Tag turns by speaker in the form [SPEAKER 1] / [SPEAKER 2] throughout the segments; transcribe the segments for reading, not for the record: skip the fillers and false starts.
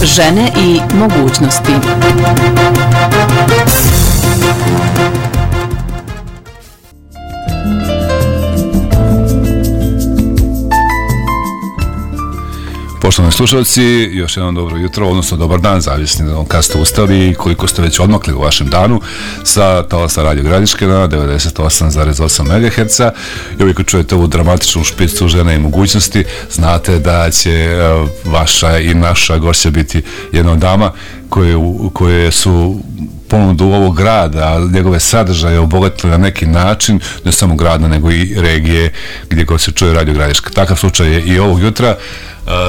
[SPEAKER 1] Žene i mogućnosti.
[SPEAKER 2] Poštovani slušalci, još jednom dobro jutro, odnosno dobar dan, zavisno kad ste ustali i koliko ste već odmakli u vašem danu sa talasa Radio Gradiške na 98,8 MHz. I uvijek čujete ovu dramatičnu špicu žene i mogućnosti, znate da će vaša i naša gošća biti jedna od dama koje su ponudu ovog grada, njegove sadržaje obogatili na neki način, ne samo grada, nego i regije gdje god se čuje Radio Gradiška. Takav slučaj je i ovog jutra.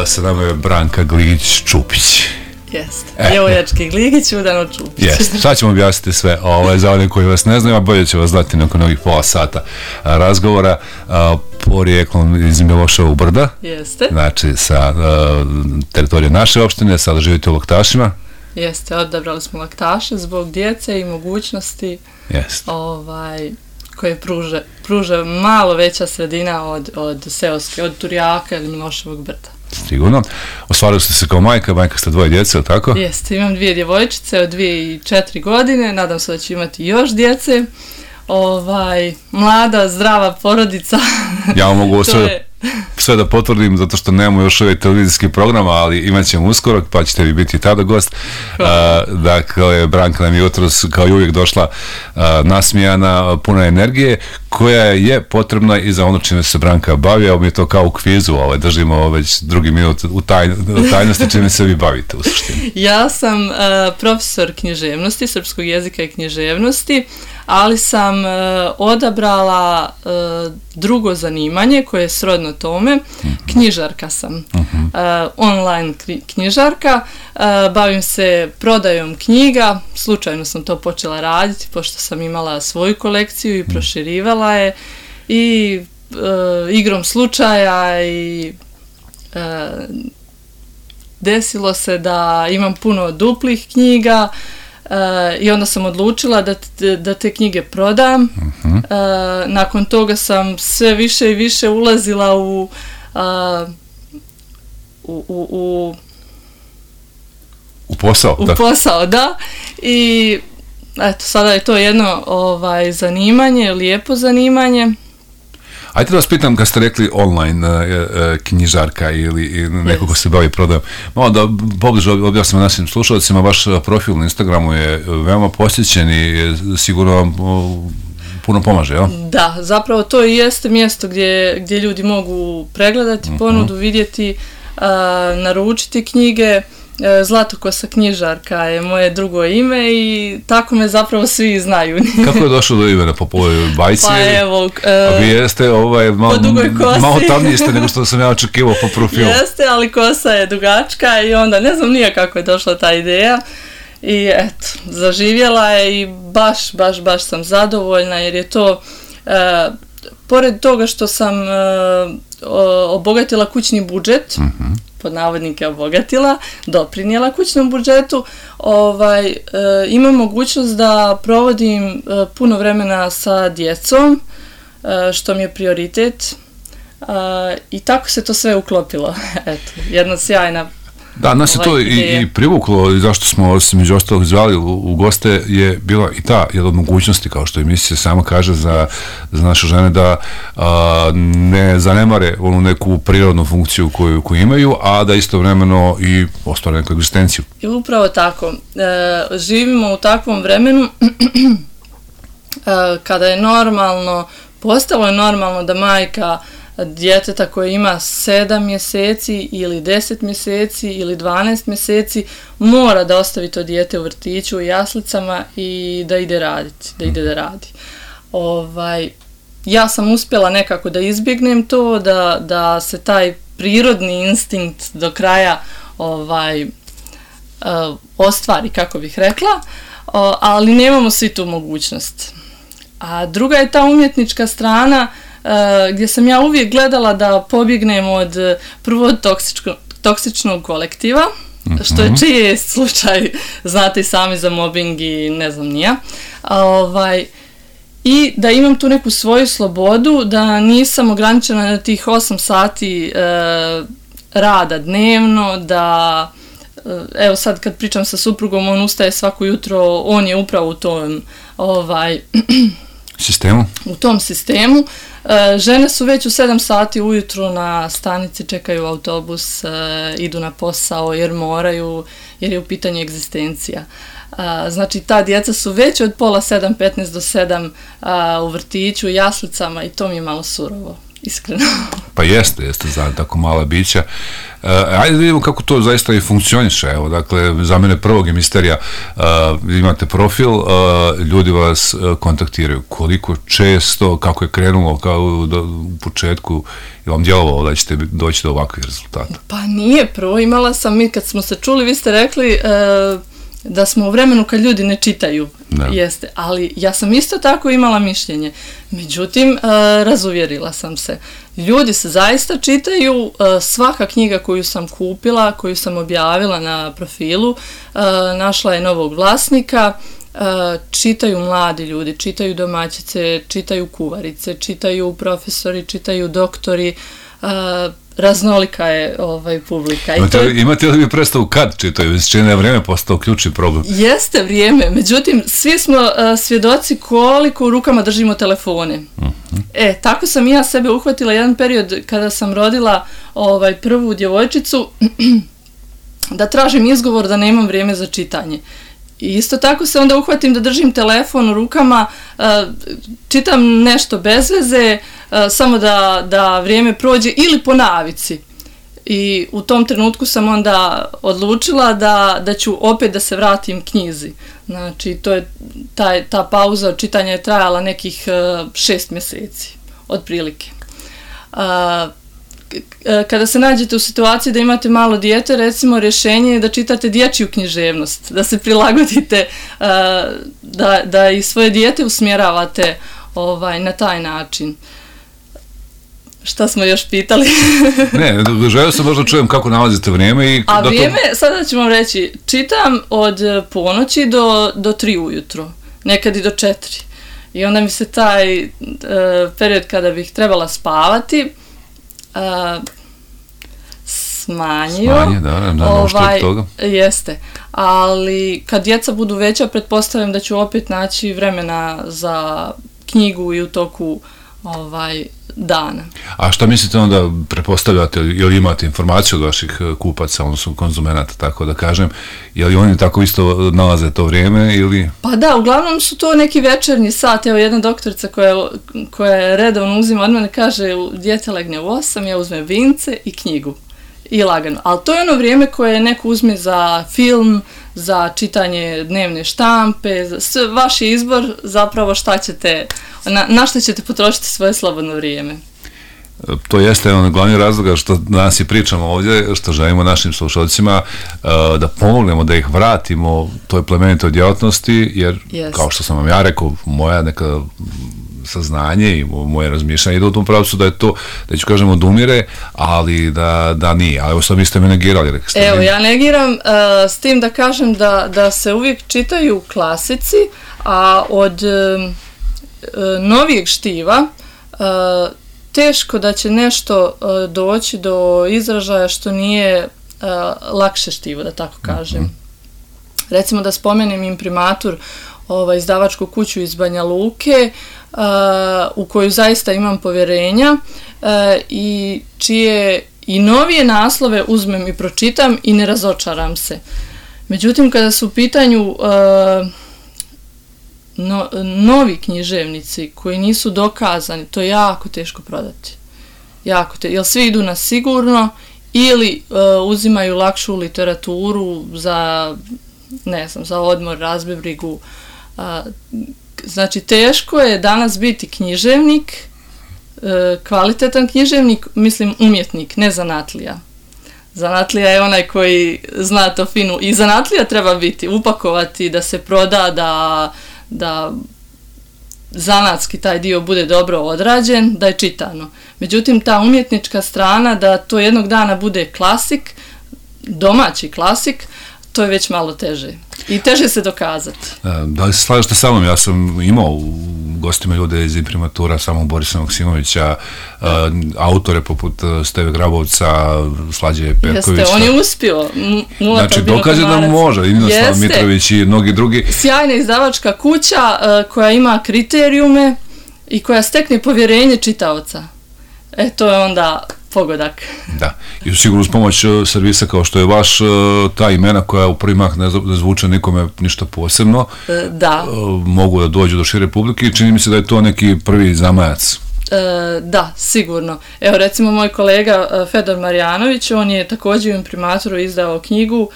[SPEAKER 2] Sa nama je Branka Gligić-Čupić.
[SPEAKER 3] Jeste, djevojački Gligić, Udano Čupić.
[SPEAKER 2] Jeste, sad ćemo objasniti sve za one koji vas ne znaju, a bolje će vas znati nakon ovih pola sata razgovora. Porijeklom iz Miloševog brda.
[SPEAKER 3] Jeste.
[SPEAKER 2] Znači sa teritorije naše opštine, sada živite u Laktašima.
[SPEAKER 3] Jeste, odabrali smo Laktaše zbog djece i mogućnosti koje pruža malo veća sredina od seoske, od Turjaka ili Miloševog brda.
[SPEAKER 2] Sigurno. Ostvarili ste se kao majka ste dvoje djece, ili tako?
[SPEAKER 3] Jeste, imam 2 djevojčice od 2 i 4 godine, nadam se da ću imati još djece. Mlada, zdrava porodica.
[SPEAKER 2] Ja vam mogu sve da potvrdim, zato što nemamo još uvijek televizijski program, ali imat ćemo uskoro, pa ćete vi biti tada gost. Dakle, Branka nam je jutros kao i uvijek došla nasmijana, puna energije, koja je potrebna i za ono čime se Branka bavi, a mi je to kao u kvizu, držimo već drugi minut u tajnosti čime se vi bavite u suštini.
[SPEAKER 3] Ja sam profesor književnosti, srpskog jezika i književnosti, ali sam odabrala drugo zanimanje koje je srodno tome, knjižarka sam, online knjižarka, bavim se prodajom knjiga, slučajno sam to počela raditi pošto sam imala svoju kolekciju i proširivala je i igrom slučaja i desilo se da imam puno duplih knjiga. I onda sam odlučila da te knjige prodam. Nakon toga sam sve više i više ulazila u
[SPEAKER 2] posao.
[SPEAKER 3] U posao, da. I eto, sada je to jedno zanimanje, lijepo zanimanje.
[SPEAKER 2] Ajde da vas pitam, kad ste rekli online knjižarka ili neko ko se bavi prodajom, malo da pobliže objasnimo našim slušalcima, vaš profil na Instagramu je veoma posjećen i sigurno vam puno pomaže, jel? Da,
[SPEAKER 3] zapravo to i jeste mjesto gdje ljudi mogu pregledati ponudu, vidjeti, naručiti knjige. Zlatokosa knjižarka je moje drugo ime i tako me zapravo svi znaju.
[SPEAKER 2] Kako je došlo do imena po bajci?
[SPEAKER 3] Pa evo...
[SPEAKER 2] vi jeste malo tamniji ste nego što sam ja očekivao po profilu.
[SPEAKER 3] Jeste, ali kosa je dugačka i onda ne znam nije kako je došla ta ideja. I eto, zaživjela je i baš sam zadovoljna jer je to... Pored toga što sam obogatila kućni budžet, pod navodnike obogatila, doprinijela kućnom budžetu, imam mogućnost da provodim puno vremena sa djecom, što mi je prioritet, i tako se to sve uklopilo. Eto, jedna sjajna.
[SPEAKER 2] Da, nas je to i privuklo, zašto smo među ostalog zvali u goste, je bila i ta jedna od mogućnosti, kao što emisija sama kaže za naše žene, da ne zanemare onu neku prirodnu funkciju koju imaju, a da istovremeno i ostvare neku egzistenciju.
[SPEAKER 3] I upravo tako. Živimo u takvom vremenu kada je postalo je normalno da majka djeteta koje ima 7 mjeseci ili 10 mjeseci ili 12 mjeseci mora da ostavi to dijete u vrtiću, u jaslicama i da ide da radi. Ja sam uspjela nekako da izbjegnem to, da se taj prirodni instinkt do kraja ostvari, kako bih rekla, ali nemamo svi tu mogućnost. A druga je ta umjetnička strana gdje sam ja uvijek gledala da pobjegnem od prvo toksičnog kolektiva, što je čest slučaj, znate i sami za mobbing i ne znam nija. I da imam tu neku svoju slobodu, da nisam ograničena na tih 8 sati rada dnevno, da evo sad kad pričam sa suprugom, on ustaje svako jutro, on je upravo u tom
[SPEAKER 2] sistemu? U
[SPEAKER 3] tom sistemu. Žene su već u 7 sati ujutro na stanici, čekaju autobus, idu na posao jer moraju, jer je u pitanju egzistencija. Znači ta djeca su već od pola 7, 15 do 7 u vrtiću, jaslicama i to mi je malo surovo, iskreno.
[SPEAKER 2] Pa jeste za tako mala bića. Ajde da vidimo kako to zaista i funkcioniše. Evo, dakle, za mene prvog je misterija, imate profil, ljudi vas kontaktiraju. Koliko često, kako je krenulo, kao u početku, je vam djelovalo da ćete doći do ovakvih rezultata?
[SPEAKER 3] Pa nije, prvo imala sam, mi kad smo se čuli, vi ste rekli da smo u vremenu kad ljudi ne čitaju, jeste, ali ja sam isto tako imala mišljenje. Međutim, razuvjerila sam se. Ljudi se zaista čitaju, svaka knjiga koju sam kupila, koju sam objavila na profilu, našla je novog vlasnika, čitaju mladi ljudi, čitaju domaćice, čitaju kuvarice, čitaju profesori, čitaju doktori, raznolika je publika.
[SPEAKER 2] Imate li vi predstavu kad čitaju? Čini je vrijeme postao ključni problem.
[SPEAKER 3] Jeste vrijeme, međutim, svi smo svjedoci koliko u rukama držimo telefone. Tako sam i ja sebe uhvatila jedan period kada sam rodila prvu djevojčicu, da tražim izgovor da nemam vrijeme za čitanje. I isto tako se onda uhvatim da držim telefon u rukama, čitam nešto bez veze, samo da vrijeme prođe ili po navici. I u tom trenutku sam onda odlučila da ću opet da se vratim knjizi. Znači, to je ta pauza od čitanja je trajala nekih 6 mjeseci, otprilike. Kada se nađete u situaciji da imate malo dijete, recimo rješenje je da čitate dječju književnost, da se prilagodite, da i svoje dijete usmjeravate na taj način. Šta smo još pitali?
[SPEAKER 2] Ne, želio sam možda čujem kako nalazite vrijeme.
[SPEAKER 3] A vrijeme, sada ću vam reći, čitam od ponoći do 3 ujutro, nekad i do 4. I onda mi se taj period kada bih trebala spavati smanjio.
[SPEAKER 2] Toga.
[SPEAKER 3] Jeste. Ali kad djeca budu veća, pretpostavljam da ću opet naći vremena za knjigu i u toku dana.
[SPEAKER 2] A šta mislite onda, pretpostavljate ili imate informaciju od vaših kupaca, odnosno konzumenata, tako da kažem, je li oni tako isto nalaze to vrijeme ili?
[SPEAKER 3] Pa da, uglavnom su to neki večernji sat. Evo jedna doktorica koja je redovno uzima od mene kaže, dijete legne u 8, ja uzmem vince i knjigu. I lagano. Ali to je ono vrijeme koje neko uzme za film, za čitanje dnevne štampe, vaš je izbor zapravo šta ćete, na što ćete potrošiti svoje slobodno vrijeme.
[SPEAKER 2] To jeste jedan glavni razloga što danas i pričamo ovdje, što želimo našim slušalcima da pomognemo, da ih vratimo toj plemenitoj djelatnosti, jer kao što sam vam ja rekao, moja neka saznanje i moje razmišljanje ide u tom pravcu da je to, da ću kažem, odumire, ali da nije. Ali evo sad vi ste me negirali.
[SPEAKER 3] Evo, ja negiram s tim da kažem da se uvijek čitaju klasici, a od novijeg štiva teško da će nešto doći do izražaja što nije lakše štivo, da tako kažem. Recimo da spomenem Imprimatur, izdavačku kuću iz Banja Luke, u koju zaista imam povjerenja i čije i novije naslove uzmem i pročitam i ne razočaram se. Međutim, kada su u pitanju novi književnici koji nisu dokazani, to je jako teško prodati. Jer svi idu na sigurno ili uzimaju lakšu literaturu za, ne znam, za odmor, razbibrigu. Znači, teško je danas biti književnik, kvalitetan književnik, mislim umjetnik, ne zanatlija. Zanatlija je onaj koji zna to finu i zanatlija treba biti, upakovati, da se proda, da zanatski taj dio bude dobro odrađen, da je čitano. Međutim, ta umjetnička strana, da to jednog dana bude klasik, domaći klasik, to je već malo teže. I teže se dokazati.
[SPEAKER 2] Da li se slažete sa mnom? Ja sam imao u gostima ljude iz imprimatura samog Borisa Maksimovića, autore poput Steve Grabovca, Slađe Perkovića.
[SPEAKER 3] Jeste, on je uspio.
[SPEAKER 2] Znači, dokaže da može, i Ninoslav Mitrović i mnogi drugi.
[SPEAKER 3] Sjajna izdavačka kuća koja ima kriterijume i koja stekne povjerenje čitaoca. To je onda pogodak.
[SPEAKER 2] Da, i sigurno uz pomoć servisa kao što je vaš, ta imena koja u prvi mah ne zvuče nikome ništa posebno, mogu da dođu do šire publike i čini mi se da je to neki prvi zamajac.
[SPEAKER 3] Da, sigurno. Evo, recimo, moj kolega Fedor Marjanović, on je također u imprimatoru izdao knjigu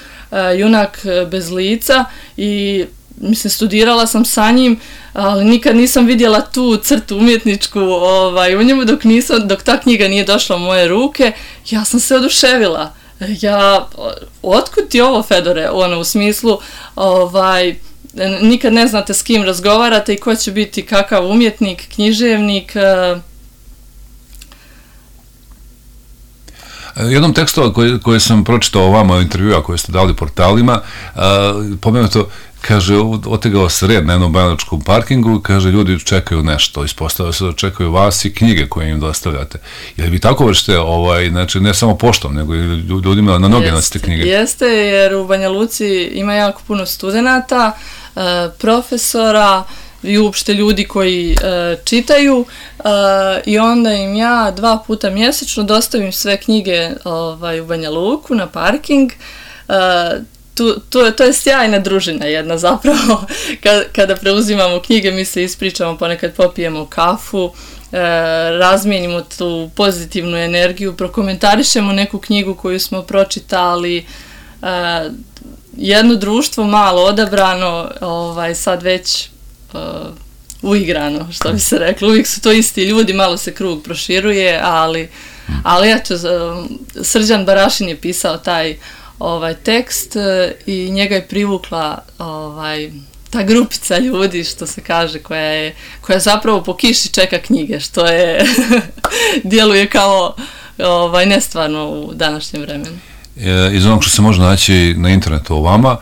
[SPEAKER 3] Junak bez lica i mislim, studirala sam sa njim, ali nikad nisam vidjela tu crtu umjetničku u njemu dok ta knjiga nije došla u moje ruke. Ja sam se oduševila. Otkud ti ovo, Fedore? U smislu, nikad ne znate s kim razgovarate i ko će biti kakav umjetnik, književnik.
[SPEAKER 2] Jednom tekstu koje sam pročitao o vama u intervjua koje ste dali portalima, pomenuto, kaže, otegao se red na jednom banjalučkom parkingu, kaže, ljudi čekaju nešto, ispostavlja se da čekaju vas i knjige koje im dostavljate. Jer vi tako vršite, znači, ne samo poštom, nego i ljudima na noge nosite knjige.
[SPEAKER 3] Jeste, jer u Banja Luci ima jako puno studenata, profesora i uopšte ljudi koji čitaju i onda im ja 2 puta mjesečno dostavim sve knjige u Banja Luku na parking. To je sjajna družina jedna zapravo. Kada preuzimamo knjige, mi se ispričamo, ponekad popijemo kafu, razmijenimo tu pozitivnu energiju, prokomentarišemo neku knjigu koju smo pročitali, jedno društvo malo odabrano, sad već uigrano, što bi se reklo. Uvijek su to isti ljudi, malo se krug proširuje, ali eto, Srđan Barašin je pisao taj tekst i njega je privukla ta grupica ljudi, što se kaže, koja zapravo po kiši čeka knjige, što je djeluje kao nestvarno u današnjem vremenu.
[SPEAKER 2] Iz onog što se može naći na internetu o vama,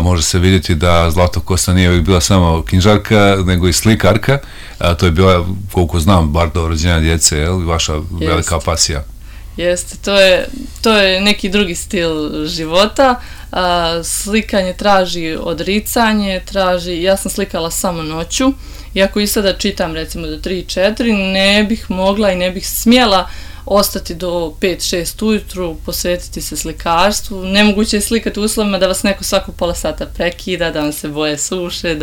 [SPEAKER 2] može se vidjeti da Zlata Kosta nije uvijek bila samo knjižarka, nego i slikarka. To je bila, koliko znam, bar do rođenja djece, vaša velika pasija.
[SPEAKER 3] Jeste, to je neki drugi stil života. Slikanje traži odricanje, ja sam slikala samo noću, iako i sada čitam recimo do 3-4, ne bih mogla i ne bih smjela ostati do 5-6 ujutru, posvetiti se slikarstvu. Nemoguće je slikati u uslovima da vas neko svako pola sata prekida, da vam se boje suše,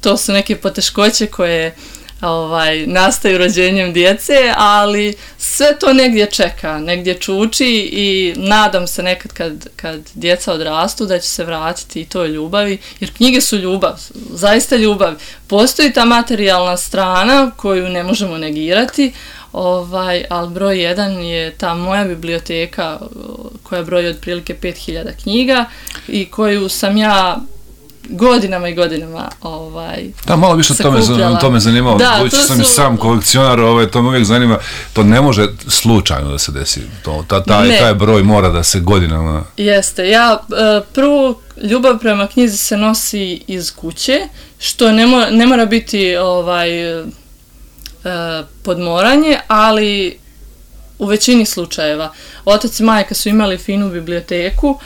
[SPEAKER 3] to su neke poteškoće koje nastaju rođenjem djece, ali sve to negdje čeka, negdje čuči i nadam se nekad kad djeca odrastu da će se vratiti i toj ljubavi, jer knjige su ljubav, zaista ljubav. Postoji ta materijalna strana koju ne možemo negirati, ali broj 1 je ta moja biblioteka koja broji otprilike 5000 knjiga i koju sam ja godinama i godinama
[SPEAKER 2] da, malo više to me zanimalo. Budući sam i sam kolekcionar, to me uvijek zanima. To ne može slučajno da se desi. Taj broj mora da se godinama...
[SPEAKER 3] Jeste. Prvo, ljubav prema knjizi se nosi iz kuće, što ne mora biti podmoranje, ali u većini slučajeva. Otac i majka su imali finu biblioteku,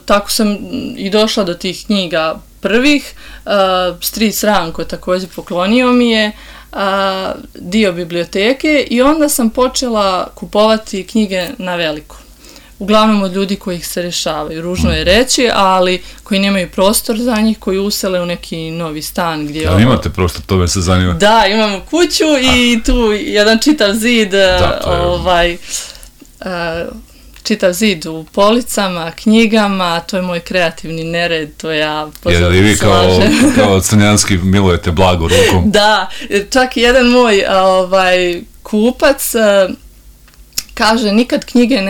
[SPEAKER 3] tako sam i došla do tih knjiga prvih. Stric Ranko također poklonio mi je dio biblioteke i onda sam počela kupovati knjige na veliko. Uglavnom od ljudi koji ih se rješavaju, ružno je reći, ali koji nemaju prostor za njih, koji usele u neki novi stan.
[SPEAKER 2] Ali imate prostor, to me se zanima.
[SPEAKER 3] Da, imamo kuću i tu jedan čitav zid, čitav zid u policama, knjigama, to je moj kreativni nered, to ja
[SPEAKER 2] pozorno slažem. Jer vi kao crnjanski milujete blago rukom.
[SPEAKER 3] Da, čak jedan moj kupac kaže nikad knjige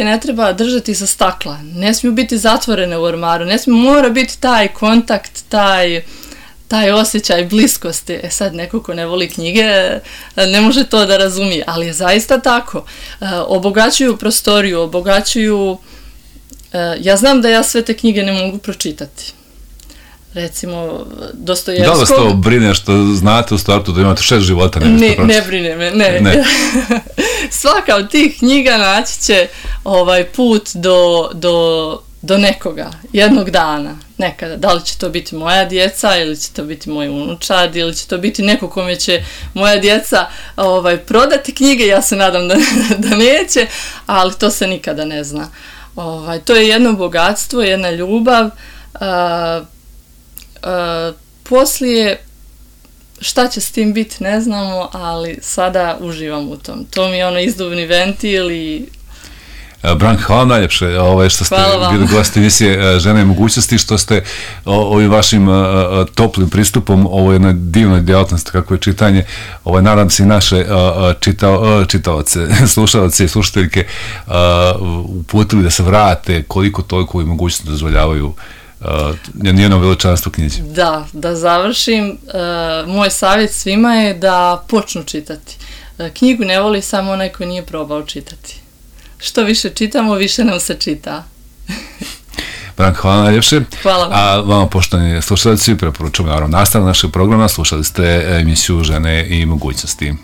[SPEAKER 3] ne treba držati sa stakla, ne smiju biti zatvorene u ormaru, mora biti taj kontakt, taj osjećaj bliskosti. Sad neko ko ne voli knjige ne može to da razumije, ali je zaista tako. Obogaćuju prostoriju, obogaćuju... Ja znam da ja sve te knjige ne mogu pročitati. Recimo, Dostojevskog...
[SPEAKER 2] Da vas to brine što znate u startu da imate 6 života?
[SPEAKER 3] Ne brine me, ne. Svaka od tih knjiga naći će put do nekoga, jednog dana, nekada. Da li će to biti moja djeca, ili će to biti moj unučad, ili će to biti neko kome će moja djeca prodati knjige, ja se nadam da neće, ali to se nikada ne zna. To je jedno bogatstvo, jedna ljubav. Poslije šta će s tim biti ne znamo, ali sada uživam u tom. To mi je izduvni ventil i...
[SPEAKER 2] Branka, hvala najljepše što ste bili gosti emisije Žene i mogućnosti, što ste ovim vašim toplim pristupom ovoj jednoj divnoj djelatnosti kako je čitanje, nadam se i naše čitaoce, slušalce i slušateljke uputili da se vrate koliko toliko i mogućnosti dozvoljavaju njeno veličanstvo knjizi. Da završim. Moj savjet svima je da počnu čitati. Knjigu ne voli samo onaj koji nije probao čitati. Što više čitamo, više nam se čita. Branka, hvala najljepše.
[SPEAKER 3] Hvala vam.
[SPEAKER 2] A vama, poštovani slušalci, preporučujemo naravno nastavak našeg programa. Slušali ste emisiju Žene i mogućnosti.